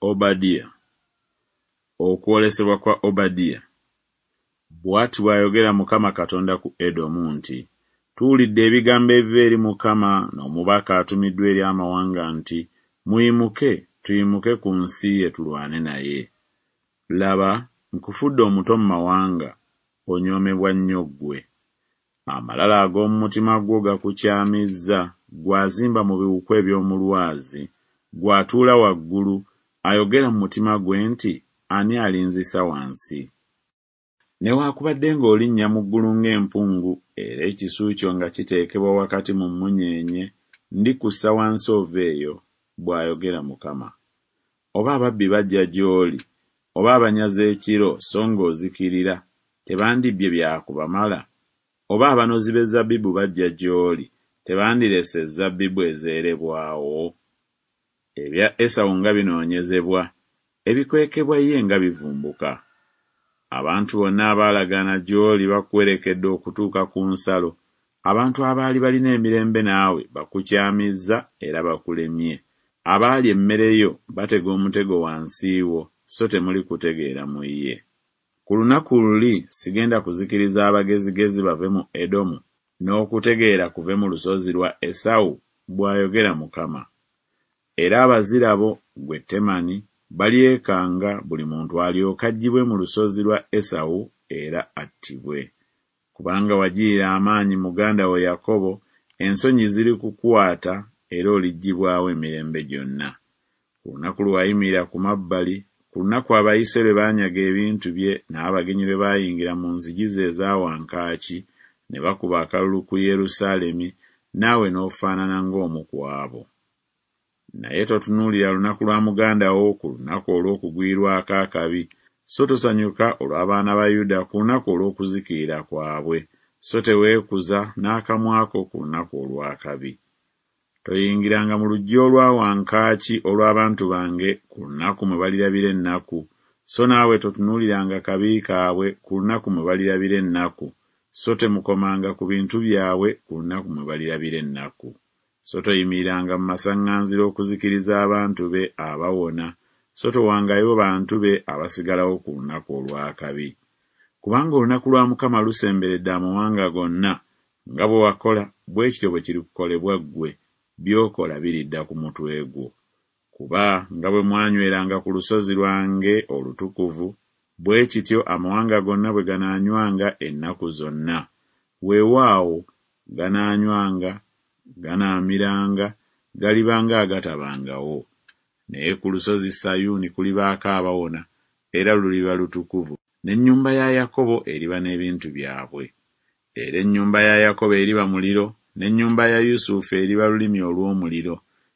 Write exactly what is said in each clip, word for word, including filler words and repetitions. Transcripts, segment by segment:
Obadiya. Okwolesebwa kwa Obadiya. Bw'ati bw'ayogera Mukama Katonda ku Edomu nti, Tuwulidde ebigambo ebiva eri Mukama n'omubaka atumiddwa eri amawanga nti, Muyimuke, tuyimuke ku nsi ye tulwane naye. Laba, nkufudde omuto mu mawanga, onyoomebwa nnyo ggwe. Amalala ag'omu mutima gwo gakukyamizza, ggwe azimba mu biwuku eby'omu lwazi, ggwe atuula waggulu, ayogera mu mutima gwe nti, Ani alinzisa wansi? Newaakubadde ng'olinnya mu ggulu ng'empungu, era ekisu kyo nga kiteekebwa wakati mu mmunyeenye, ndikussa wansi oveeyo, bw'ayogera Mukama. Oba ababbi bajja gy'oli, oba abanyazi ekiro, so ng'ozikirira, tebandibbye byakubamala? Oba abanozi b'ezzabbibu bajja gy'oli, tebandirese ezzabbibu ezeerebwawo? Ebya Esawu nga binoonyezebwa, ebikwekebwa ye nga bivumbuka! Abantu bonna abaalagaana gy'oli bakuwerekedde okutuuka ku nsalo, abantu abaali balina emirembe naawe bakukyamizza era bakulemye, abaalya emmere yo batega omutego wansi wo, so temuli kutegeera mu ye. Ku lunaku luli sigenda kuzikiriza abagezigezi bave mu Edomu, n'okutegeera kuve mu lusozi lwa Esawu? Bw'ayogera Mukama. Era abazira bo, ggwe Temani, balyekanga, buli muntu alyoke aggyibwe mu lusozi lwa Esawu era attibwe. Kubanga wagirira amaanyi muganda wo Yakobo, ensonyi zirikukwata era oliggyibwawo emirembe gyonna. Ku lunaku lwe wayimirira ku mabbali, ku lunaku abayise lwe baanyaga ebintu bye n'abagenyi lwe baayingira mu nzigi ze eza wankaaki ne bakuba akalulu ku Yerusaalemi, naawe n'ofaanana ng'omu ku abo. Naye totunuulira lunaku lwa muganda wo ku lunaku olw'okugwirwako akabi, so tosanyuka olw'abaana ba Yuda ku lunaku olw'okuzikirira kwabwe, so teweekuza n'akamwa ko ku lunaku olw'akabi. Toyingiranga mu luggya olwa wankaaki olw'abantu bange ku lunaku mwe balirabira ennaku, so naawe totunuuliranga kabi kaabwe ku lunaku mwe balirabira ennaku, so temukomanga ku bintu byabwe ku lunaku mwe balirabira ennaku. So toyimiriranga mu masaŋŋanzira okuzikiriza abantu be abawona, so towangayo bantu be abasigalawo ku lunaku olw'akabi. Kubanga olunaku lwa Mukama lusemberedde amawanga gonna, nga bwe wakola bwe kityo bwe kirikukolebwa ggwe, by'okola biridda ku mutwe gwo. Kuba nga bwe mwanyweranga ku lusozi lwange olutukuvu, bwe kityo amawanga gonna bwe ganaanywanga ennaku zonna. Weewaawo ganaanywanga, ganaamiranga, galiba ng'agatabangawo. Naye ku lusozi Sayuuni kulibaako abawona, era luliba lutukuvu, n'ennyumba ya Yakobo eriba n'ebintu byabwe. Era ennyumba ya Yakobo eriba muliro, n'ennyumba ya Yusufu eriba lulimi olw'omuliro,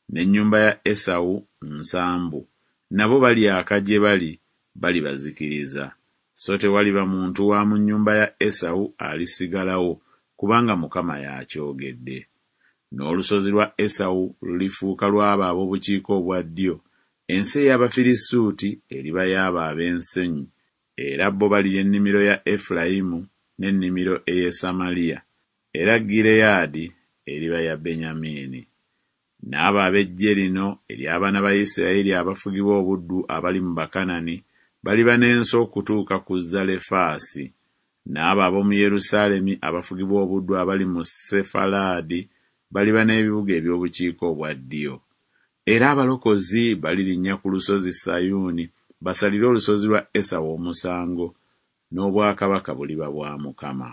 n'ennyumba ya Esawu nsambu, nabo balyaka gye bali, balibazikiriza. So tewaliba muntu wa mu nnyumba ya Esawu alisigalawo, kubanga Mukama y'akyogedde. N'olusozi lwa Esawu lulifuuka lw'abo ab'obukiika obwa ddyo, ensi ey'Abafirisuuti eriba y'abo ab'ensenyi, era bo balirya ennimiro ya Efulayimu n'ennimiro ey'e Samaliya, era Gireyaadi eriba ya Benyamini. N'abo ab'eggye lino ery'abaana ba Isirayiri abafugibwa obuddu abali mu Bakanani baliba n'ensi okutuuka ku Zalefaasi. N'abo ab'omu Yerusaalemi abafugibwa obuddu abali mu Sefalaadi baliba n'ebibuga eby'obukiika obwa ddyo. Era abalokozi balirinnya ku lusozi Sayuuni basalire olusozi lwa Esawu omusango, n'obwakabaka buliba bwa Mukama.